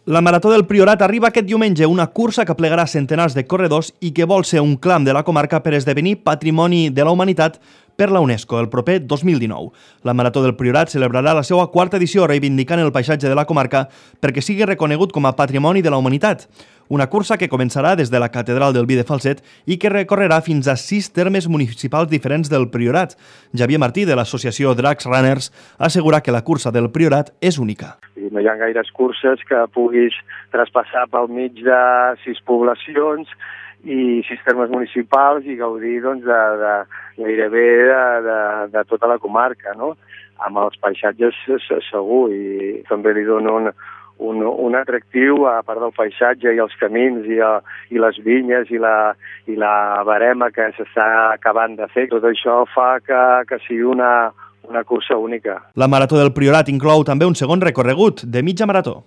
La Marató del Priorat arriba aquest diumenge, una cursa que plegarà centenars de corredors i que vol ser un clam de la comarca per esdevenir Patrimoni de la Humanitat per la UNESCO el proper 2019. La Marató del Priorat celebrarà la seva quarta edició reivindicant el paisatge de la comarca perquè sigui reconegut com a Patrimoni de la Humanitat. Una cursa que començarà des de la Catedral del Vi de Falset i que recorrerà fins a 6 termes municipals diferents del Priorat. Javier Martí, de l'associació Dracs Runners, assegura que la cursa del Priorat és única. No hi ha gaires curses que puguis traspassar pel mig de 6 poblacions i 6 termes municipals i gaudir gairebé de tota la comarca, no? Amb els paisatges segur, i també li dona un atractiu, a part del paisatge i els camins i les vinyes i la barema que s'està acabant de fer. Tot això fa que sigui una cursa única. La Marató del Priorat inclou també un segon recorregut de mitja marató.